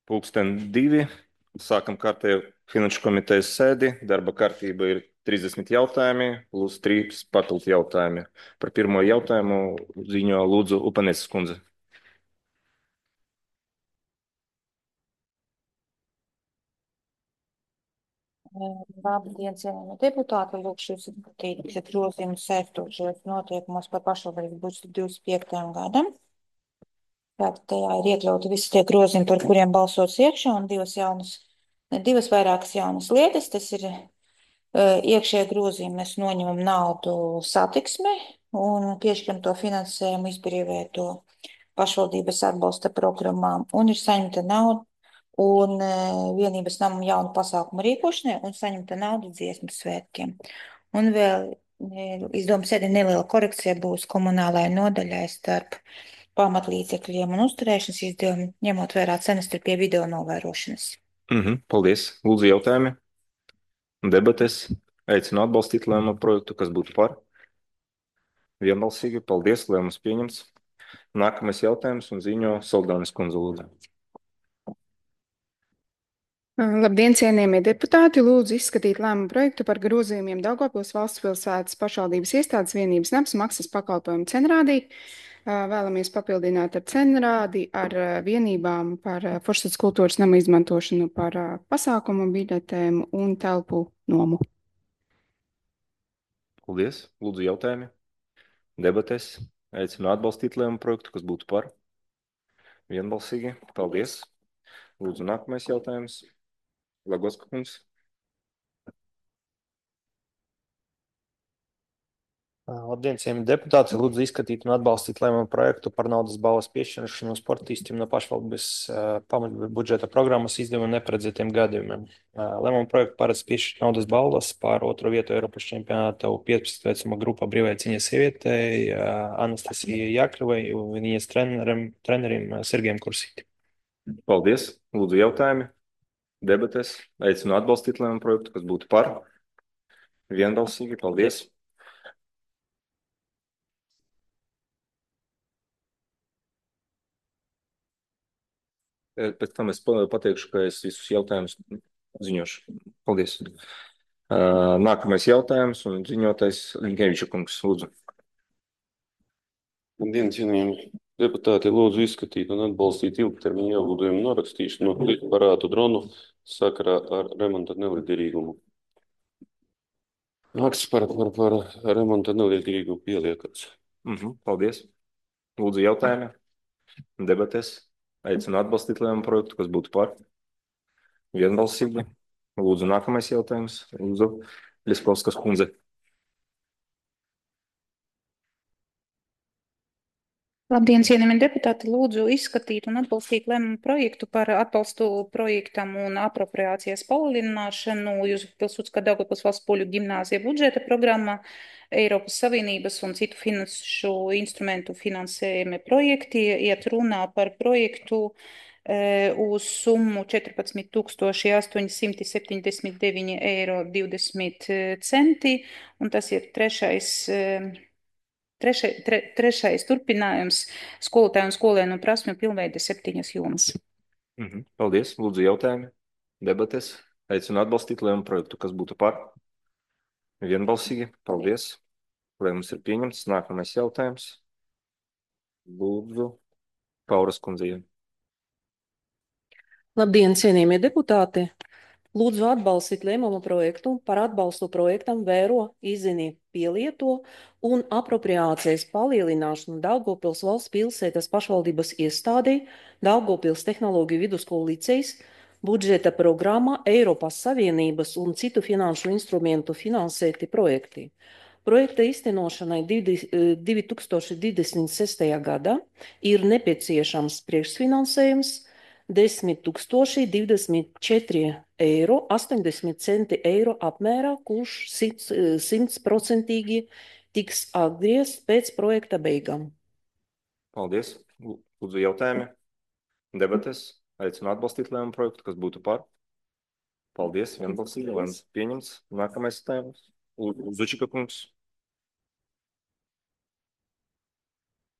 Pulksten 2. Sākam kārtējo finanšu komitejas sēdi. Darba kārtība ir 30 jautājumi plus 3 papildu jautājumi. Par pirmo jautājumu ziņo lūdzu Upaneses kundze. Labdien, cienījamie deputāti, lūkšu jūs skatīt grozījumus saistošos noteikumos par pašvaldības budžetu 25. gadam. Tātad tajā ir iekļauti visi tie grozījumi, par kuriem balsots iekšā, un divas vairākas jaunas lietas. Tas ir iekšējā grozījuma, mēs noņemam naudu satiksme un piešķiram to finansējumu izbrīvēto pašvaldības atbalsta programmām, un ir saņemta nauda un vienības namam jaunu pasākumu rīkošanai un saņemta nauda dziesmu svētkiem. Un vēl izdevuma sēdē neliela korekcija būs komunālajai nodaļai starp pamatlīdzekļiem un uzturēšanas izdevumiem, ņemot vērā cenas pie video novērošanas. Paldies. Lūdzu jautājumi. Debates. Aicinu atbalstīt lēmumu projektu, kas būtu par. Vienbalsīgi. Paldies. Lēmums pieņemts. Nākamais jautājums un ziņo Soldānes kundze lūdzu. Labdien, cienījamie deputāti! Lūdzu izskatīt lēmumu projektu par grozījumiem Daugavpils valsts pilsētas pašvaldības iestādes vienības nams maksas pakalpojumu cenrādī. Vēlamies papildināt ar cenrādi ar vienībām par Foršsats kultūras nama izmantošanu par pasākumu biļetēm un telpu nomu. Paldies. Lūdzu jautājumi. Debates. Aicinu atbalstīt lēmumu projektu, kas būtu par. Vienbalsīgi. Paldies. Lūdzu nākamais jautājums. Lagoska kungs. Labdien, cienījamie deputāti! Lūdzu izskatīt un atbalstīt lēmumu projektu par naudas balvas piešķiršanu sportistiem no pašvaldības pamatbudžeta programmas izdevuma neparedzētiem gadījumiem. Lēmumu projektu paredz piešķirt naudas balvas par 2. vietu Eiropas čempionāta 15 vecuma grupā brīvai cīņai sievietei Anastasijai Jākļuvai un viņas trenerim Sergejam Kursītim. Paldies. Lūdzu jautājumi. Debates. Aicinu atbalstīt lēmumu projektu, kas būtu par. Vienbalsīgi. Paldies. Pēc tam es pateikšu, ka es visus jautājumus ziņošu. Paldies. Nākamais jautājums un ziņotais Linkeviča kungs. Lūdzu. Labdien, cienījamie deputāti! Lūdzu izskatīt un atbalstīt ilgtermiņa ieguldījumu norakstīšanu no parātu dronu sakarā ar remonta neliederīgumu. Maksas par remonta neliederīgumu pieliekats. Paldies. Lūdzu jautājumi. Debates. Aicinu atbalstīt lēmumu projektu, kas būtu par. Vienbalsīgi. Lūdzu nākamais jautājums. Lūdzu Ļiskovskas kundze. Labdien, cienījamie deputāti! Lūdzu izskatīt un atbalstīt lēmumu projektu par atbalstu projektam un apropriācijas palielināšanu Pilsudskā Daugavpils valsts poļu ģimnāzija budžeta programmā, Eiropas Savienības un citu finanšu instrumentu finansējumi projekti. Iet runā par projektu uz summu 14 879,20 €, un tas ir trešais turpinājums skolotāju un skolēnu prasmju pilnveide 7 jomas. Paldies. Lūdzu jautājumi. Debates. Aicinu atbalstīt lēmumu projektu, kas būtu par. Vienbalsīgi. Paldies. Lēmums ir pieņemts. Nākamais jautājums. Lūdzu Pauras kundzei. Labdien, cienījamie deputāti! Lūdzu atbalstīt lēmumu projektu par atbalstu projektam Vēro, izzini, pielieto un apropriācijas palielināšanu Daugavpils valsts pilsētas pašvaldības iestādei Daugavpils tehnoloģiju vidusskolu licejs budžeta programmā Eiropas Savienības un citu finanšu instrumentu finansēti projekti. Projekta īstenošanai 2026. gadā ir nepieciešams priekšfinansējums 10 024,80 € apmērā, kurš 100% tiks atgriezts pēc projekta beigām. Paldies. Lūdzu jautājumi. Debates. Aicinu atbalstīt lēmumu projektu, kas būtu par. Paldies. Vienbalsīgi. Lēmums pieņemts. Nākamais jautājums. Zučika kungs.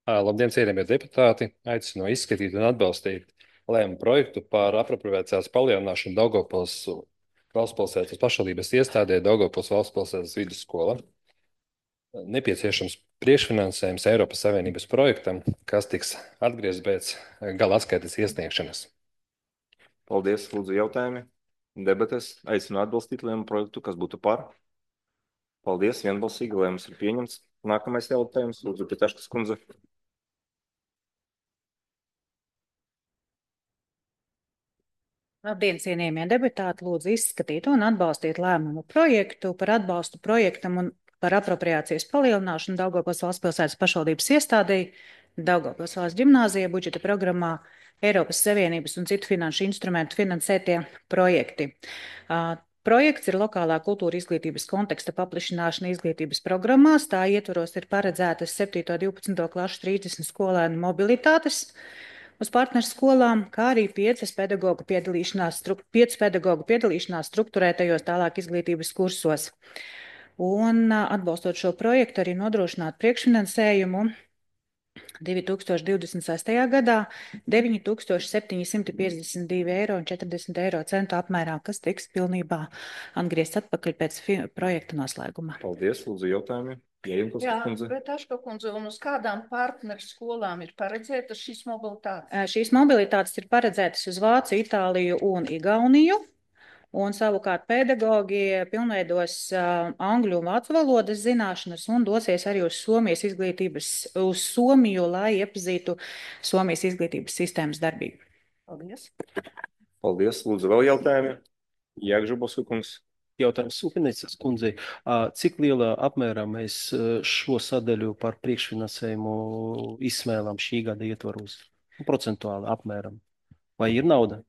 Labdien, cienījamie deputāti! Aicinu izskatīt un atbalstīt lēma projektu par apropriācijas palielināšanu Daugavpils valstspilsētas pašvaldības iestādē Daugavpils valstspilsētas vidusskola. Nepieciešams priekšfinansējums Eiropas Savienības projektam, kas tiks atgriezts pēc gala atskaites iesniegšanas. Paldies, lūdzu, jautājumi. Debates. Aicinu atbalstīt lēmumu projektu, kas būtu par. Paldies, vienbalsīgi, lēmums ir pieņemts. Nākamais jautājums, lūdzu, Pitaškas kundze. Labdien, cienījamie deputāti, lūdzu izskatīt un atbalstīt lēmumu projektu par atbalstu projektam un par apropriācijas palielināšanu Daugavpils valstspilsētas pašvaldības iestādei Daugavpils valsts ģimnāzijā budžeta programmā Eiropas Savienības un citu finanšu instrumentu finansētie projekti. Projekts ir lokālā kultūra izglītības konteksta paplašināšana izglītības programmās. Tā ietvaros ir paredzētas 7. un 12. klašu 30 skolēnu mobilitātes uz partneru skolām, kā arī 5 pedagoģu piedalīšanās struktūrētajos tālāk izglītības kursos. Un atbalstot šo projektu arī nodrošināt priekšfinansējumu 2026. gadā 9,752 eiro apmērā, kas tiks pilnībā atgriezts atpakaļ pēc projekta noslēguma. Paldies, lūdzu, jautājumi. Jā, bet Aška kundze, un uz kādām partneru skolām ir paredzētas šīs mobilitātes? Šīs mobilitātes ir paredzētas uz Vāciju, Itāliju un Igauniju. Un savukārt pedagogi pilnveidos angļu un vācu valodas zināšanas un dosies arī uz Somiju, lai iepazītu Somijas izglītības sistēmas darbību. Paldies. Paldies, lūdzu, vēl jautājumi. Jāgžubos kungs. Jautājums Supinicas kundzei. Cik lielā apmērā mēs šo sadaļu par priekšfinansējumu izsmēlām šī gada ietvaros? Procentuāli apmēram. Vai ir nauda?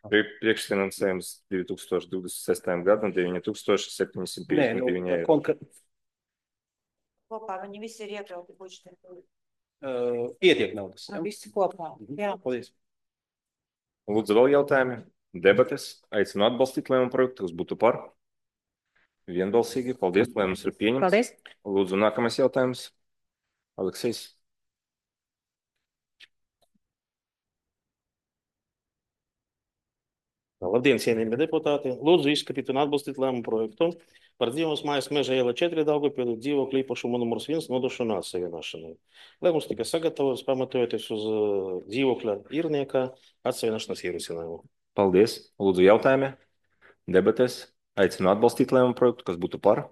Priekšfinansējums 2026. gadam 9,759 eiro. Kopā viņi visi ir iekļauti budžetā. Ietiek naudas. Visi kopā. Jā. Paldies. Lūdzu, vēl jautājumi. Debates. Aicinu atbalstīt lēmumu projektu, kas būtu par. Vienbalsīgi. Paldies, lēmums ir pieņemts. Paldies. Lūdzu, nākamais jautājums. Aleksejs. Labdien, cienījamie deputāti! Lūdzu izskatīt un atbalstīt lēmumu projektu par dzīvības mājas meža iela 4 Daugavpilī dzīvokļu īpašumu numurs 1 nodošanu atsevienošanai. Lēmums tika sagatavots pamatojoties uz dzīvokļa īrnieka atsevienošanas ierosinājumu. Paldies. Lūdzu, jautājumi. Debates. Aicinu atbalstīt lēmumu projektu, kas būtu par.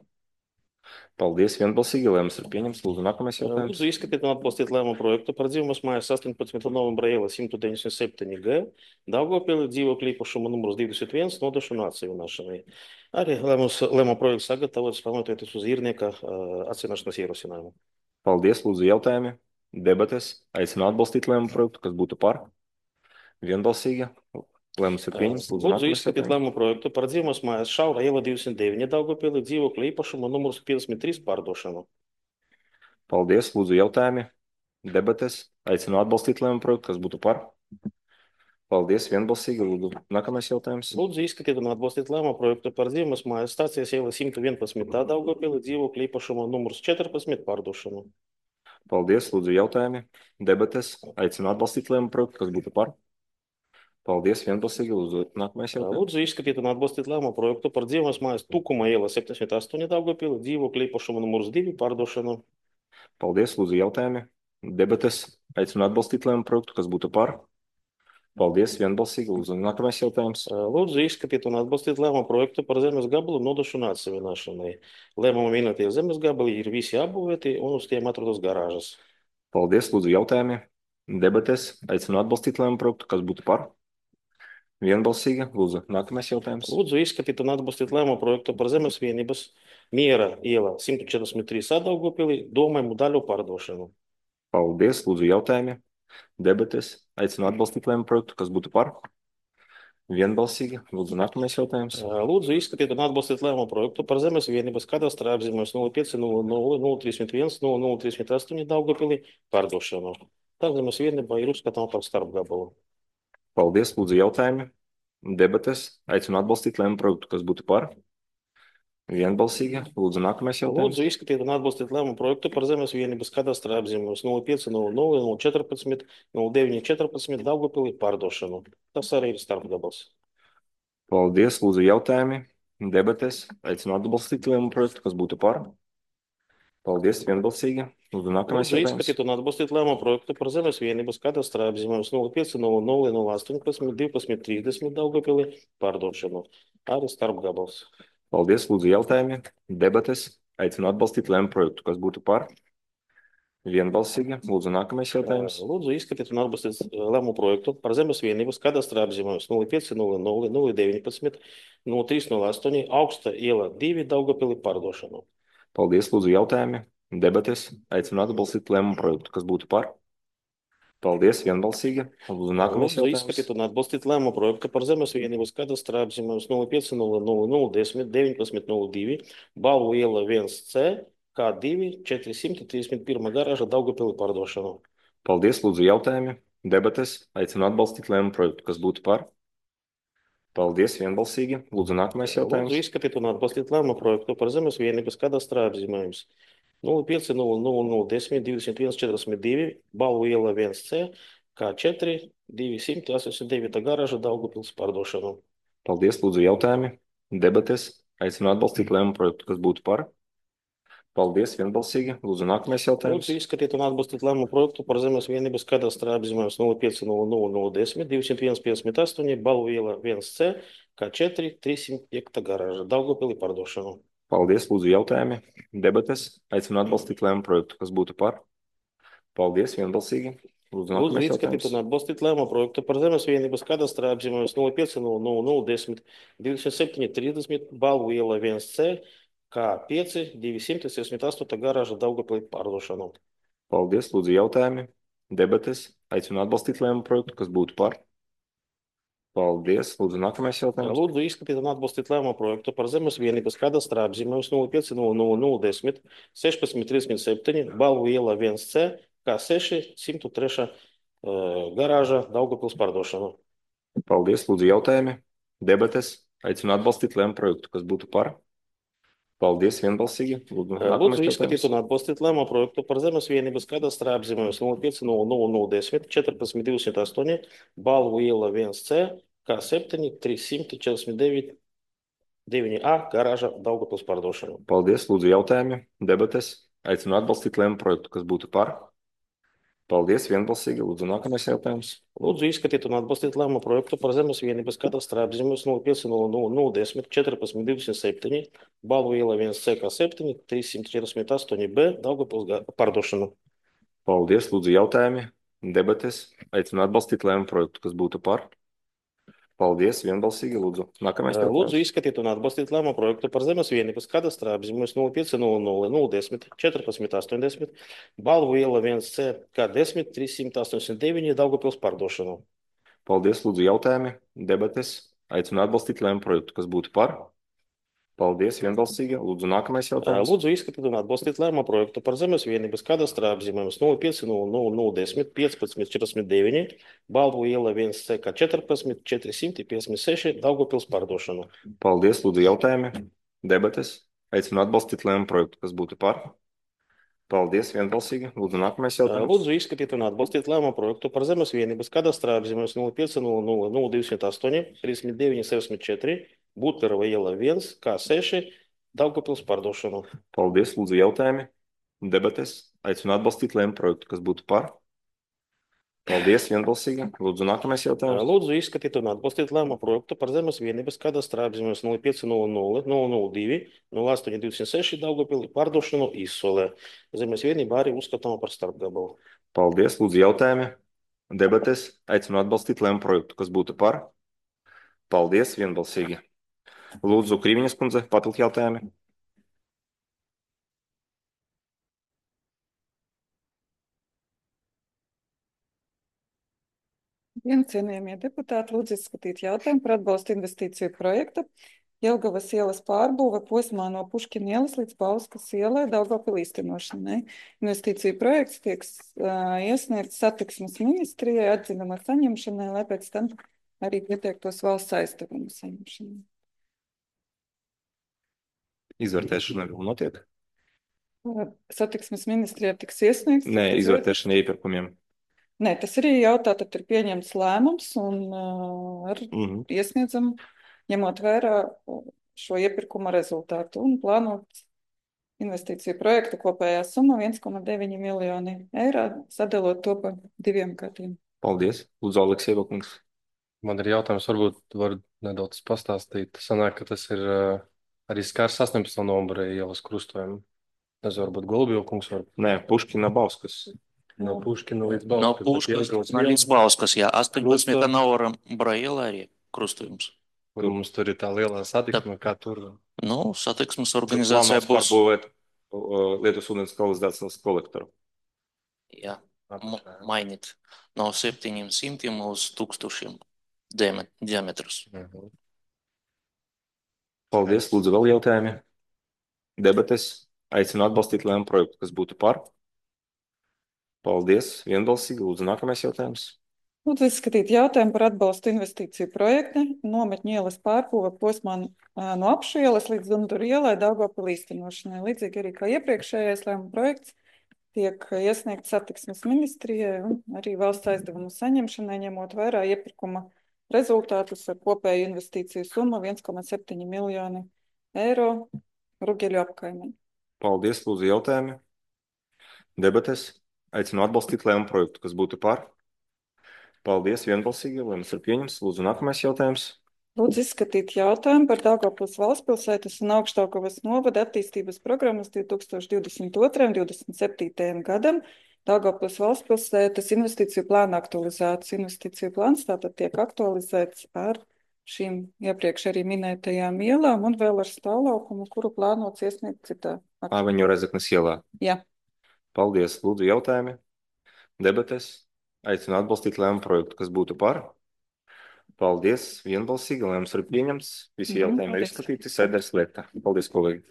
Paldies, vienbalsīgi, lēmums ir pieņemts. Lūdzu, nākamais jautājums. Lūdzu izskatīt un atbalstīt lēmumu projektu par dzīvības mājas 18. novembra iela 197 G Daugavpilī dzīvokļu īpašumu numurs 21 nodošanu atsevienošanai. Arī lēmumu projekts sagatavots pamatojoties uz īrnieka atsevienošanas ierosinājumu. Paldies, lūdzu, jautājumi. Debates. Aicinu atbalstīt lēmumu projektu, kas būtu par. Vienbalsīgi. Lēmums ir pieņemts. Lūdzu izskatīt lēmumu projektu par dzīvības mājas Šaura iela 209 Daugavpilī dzīvokļu īpašumu numurs 53 pārdošanu. Paldies, lūdzu, jautājumi. Debates. Aicinu atbalstīt lēmumu projektu, kas būtu par. Paldies, vienbalsīgi. Lūdzu, nākamais jautājums. Lūdzu izskatīt un atbalstīt lēmumu projektu par dzīvības mājas stācijas iela 111 Daugavpilī dzīvokļu īpašumu numurs 14 pārdošanu. Paldies, lūdzu, jautājumi. Debates. Aicinu atbalstīt lēmumu projektu, kas būtu par. Paldies, vienbalsīgi. Lūdzu, nākamais jautājums. Lūdzu izskatīt un atbalstīt lēmumu projektu par dzīvības mājas Tukuma iela 78 Daugavpilī dzīvokļu īpašumu numurs 2 pārdošanu. Paldies, lūdzu, jautājumi. Debates. Aicinu atbalstīt lēmumu projektu, kas būtu par. Paldies, vienbalsīgi. Lūdzu, nākamais jautājums. Lūdzu izskatīt un atbalstīt lēmumu projektu par zemes gabalu nodošanu atsevienošanai. Lēmumu minētie zemes gabali ir visi apbūvēti un uz tiem atrodas garāžas. Paldies, lūdzu, jautājumi. Debates. Aicinu atbalstīt lēmumu projektu, kas būtu par. Vienbalsīgi. Lūdzu, nākamais jautājums. Lūdzu izskatīt un atbalstīt lēmumu projektu par zemes vienības Miera iela 143 Daugavpilī domājumu daļu pārdošanu. Paldies, lūdzu, jautājumi. Debates. Aicinu atbalstīt lēmumu projektu, kas būtu par. Vienbalsīgi. Lūdzu, nākamais jautājums. Lūdzu izskatīt un atbalstīt lēmumu projektu par zemes vienības kadastrā apzīmējums 0500031038 Daugavpilī pārdošanu. Tā zemes vienība ir uzskatāma par starpgabalu. Paldies, lūdzu, jautājumi. Debates. Aicinu atbalstīt lēmumu projektu, kas būtu par. Vienbalsīgi. Lūdzu, nākamais jautājums. Lūdzu, izskatīt un atbalstīt lēmumu projektu par zemes vienības kadastra apzīmējumus 0500 014 0914 Daugavpilī pārdošanu. Tas arī ir starpgabals. Paldies. Lūdzu, jautājumi, debates. Aicinu atbalstīt lēmumu projektu, kas būtu par. Paldies. Vienbalsīgi. Lūdzu, nākamais Lūdzu, jautājums. izskatīt un atbalstīt lēmumu projektu par zemes vienības kadastra apzīmējumus 0500 018 12 30 Daugavpilī pārdošanu. Arī starpgabals. Paldies. Lūdzu, jautājumi, debates. Aicinu atbalstīt lēmumu projektu, kas būtu par. Vienbalsīgi. Lūdzu, nākamais jautājums. Lūdzu, izskatīt un atbalstīt lēmumu projektu par zemes vienības kadastra apzīmējumus 0500 019 0308 Augsta iela 2 Daugavpilī pārdošanu. Paldies. Lūdzu, jautājumi, debates. Aicinu atbalstīt lēmumu projektu, kas būtu par. Paldies. Vienbalsīgi. Lūdzu, nākamais Lūdzu, jautājums. izskatīt un atbalstīt lēmumu projektu par zemes vienības kadastra apzīmējumus 0500 010 1902 Balvu iela 1C K2 431 garāža Daugavpilī pārdošanu. Paldies. Lūdzu, jautājumi, debates. Aicinu atbalstīt lēmumu projektu, kas būtu par. Paldies. Vienbalsīgi. Lūdzu, nākamais Lūdzu, jautājums. izskatīt un atbalstīt lēmumu projektu par zemes vienības kadastra apzīmējumus 0500 010 21 42 Balvu iela 1C K4 289 garāža Daugavpils pārdošanu. Paldies. Lūdzu, jautājumi, debates. Aicinu atbalstīt lēmumu projektu, kas būtu par. Paldies. Vienbalsīgi. Lūdzu, nākamais jautājums. Lūdzu, izskatīt un atbalstīt lēmumu projektu par zemes vienības kadastra apzīmējumus 0500 010 201 58 Balvu iela 1C K4 305 garāža Daugavpilī pārdošanu. Paldies. Lūdzu, jautājumi, debates. Aicinu atbalstīt lēmumu projektu, kas būtu par. Paldies. Vienbalsīgi. Lūdzu, Lūdzu, nākamais izskatīt jautājums. un atbalstīt lēmumu projektu par zemes vienības kadastra apzīmējumus 0500 010 27 30 Balvu iela 1C K5 268 garāža Daugavpilī pārdošanu. Paldies. Lūdzu, jautājumi, debates. Aicinu atbalstīt lēmumu projektu, kas būtu par. Paldies. Lūdzu, nākamais jautājums. Lūdzu, izskatīt un atbalstīt lēmumu projektu par zemes vienības kadastra apzīmējumus 0500 010 16 37 Balvu iela 1C K6 103 garāža Daugavpils pārdošanu. Paldies. Lūdzu, jautājumi, debates. Aicinu atbalstīt lēmumu projektu, kas būtu par. Paldies. Vienbalsīgi. Lūdzu, Lūdzu, nākamais izskatīt jautājums. un atbalstīt lēmumu projektu par zemes vienības kadastra apzīmējumus 0500 010 14 208 Balvu iela 1C K7 349 9A garāža Daugavpils pārdošanu. Paldies. Lūdzu, jautājumi, debates. Aicinu atbalstīt lēmumu projektu, kas būtu par. Paldies. Vienbalsīgi. Lūdzu, nākamais jautājums. Lūdzu, izskatīt un atbalstīt lēmumu projektu par zemes vienības kadastra apzīmējumus 0500 010 14 27 Balvu iela 1C K7 348 B Daugavpils pārdošanu. Paldies. Lūdzu, jautājumi, debates. Aicinu atbalstīt lēmumu projektu, kas būtu par. Paldies. Vienbalsīgi. Lūdzu, nākamais Lūdzu, jautājums. izskatīt un atbalstīt lēmumu projektu par zemes vienības kadastra apzīmējumus 0500 010 14 80 Balvu iela 1C K10 389 Daugavpils pārdošanu. Paldies. Lūdzu, jautājumi, debates. Aicinu atbalstīt lēmumu projektu, kas būtu par. Paldies. Vienbalsīgi. Lūdzu, nākamais jautājums. Lūdzu, izskatīt un atbalstīt lēmumu projektu par zemes vienības kadastra apzīmējumus 0500 010 15 49 Balvu iela 1C K14 456 Daugavpils pārdošanu. Paldies. Lūdzu, jautājumi, debates. Aicinu atbalstīt lēmumu projektu, kas būtu par. Paldies. Vienbalsīgi. Lūdzu, nākamais jautājums. Lūdzu, izskatīt un atbalstīt lēmumu projektu par zemes vienības kadastra apzīmējumus 0500 208 39 64 Buterova iela 1 K6 Daugavpils pārdošanu. Paldies. Lūdzu, jautājumi, debates. Aicinu atbalstīt lēmumu projektu, kas būtu par. Paldies. Vienbalsīgi. Lūdzu, nākamais jautājums. Lūdzu, izskatīt un atbalstīt lēmumu projektu par zemes vienības kadastra apzīmējumus 0500 002 08 26 Daugavpilī pārdošanu Izsolē. Zemes vienība arī uzskatāma par starpgabalu. Paldies. Lūdzu, jautājumi, debates. Aicinu atbalstīt lēmumu projektu, kas būtu par. Paldies. Vienbalsīgi. Lūdzu, Krīviņas kundze, papildu jautājumi. Cienījamie deputāti, lūdzu izskatīt jautājumu par atbalstu investīciju projektu Jelgavas ielas pārbūve posmā no Puškina ielas līdz Bauskas ielai Daugavpilī īstenošanai. Investīciju projekts tiek iesniegts satiksmes ministrijai atzinuma saņemšanai, lai pēc tam arī pieteiktos valsts aizdevumu saņemšanai. Izvērtēšana vēl notiek? Satiksmes ministrijā tiks iesniegts. Nē, tad izvērtēšana iepirkumiem. Nē, tas arī jautā, tad ir pieņemts lēmums un iesniedzam, ņemot vērā šo iepirkuma rezultātu un plānot investīciju projektu kopējā summa 1,9 miljoni eiro, sadalot to pa 2 gadiem. Paldies. Lūdzu, Aleksejeva kungs. Man ir jautājums, varbūt var nedaudz pastāstīt. Sanāk, ka tas ir arī skars 18. novembra ielas krustojumu. Tas varbūt Golubjova kungs var. Nē, Puškina Bauskas. No Puškina līdz No Bauskas. Puškas līdz Bauskas, jā, 18. novembra ielā arī krustojums. Kur mums tur ir tā lielā satiksme, kā tur. Nu, satiksmes organizācijā būs. Pārbūvēt Lietuvas ūdens kanalizācijas kolektoru. Jā, mainīt no 700 uz 1000 diametrus. Paldies. Lūdzu, vēl jautājumi. Debates. Aicinu atbalstīt lēmumu projektu, kas būtu par. Paldies. Vienbalsīgi. Lūdzu, nākamais jautājums. Lūdzu, izskatīt jautājumu par atbalstu investīciju projektu nometņu ielas pārbūve posmā no Apšu ielas līdz Dunduru ielai Daugavpilī īstenošanai. Līdzīgi arī kā iepriekšējais lēmuma projekts tiek iesniegts satiksmes ministrijai un arī valsts aizdevumu saņemšanai, ņemot vērā iepirkuma rezultātus ar kopēju investīciju summu 1,7 miljoni eiro Rugeļu apkaimē. Paldies. Lūdzu, jautājumi. Debates. Aicinu atbalstīt lēmumu projektu, kas būtu par. Paldies. Vienbalsīgi. Lēmums ir pieņems. Lūdzu, nākamais jautājums. Lūdzu, izskatīt jautājumu par Daugavpils valstspilsētas un Augšdaugavas novada attīstības programmas 2022–2027. gadam. Daugavpils valstspilsētas investīciju plāna aktualizācija. Investīciju plāns tātad tiek aktualizēts ar šīm iepriekš arī minētajām ielām un vēl ar stāvlaukumu, kuru plānots iesniegt citā. Āveņu Rezeknes ielā. Jā. Paldies. Lūdzu, jautājumi. Debates. Aicinu atbalstīt lēmumu projektu, kas būtu par. Paldies. Vienbalsīgi. Lēmums ir pieņemts. Visi jautājumi ir izskatīti. Sēdē slēgta. Paldies, kolēģi.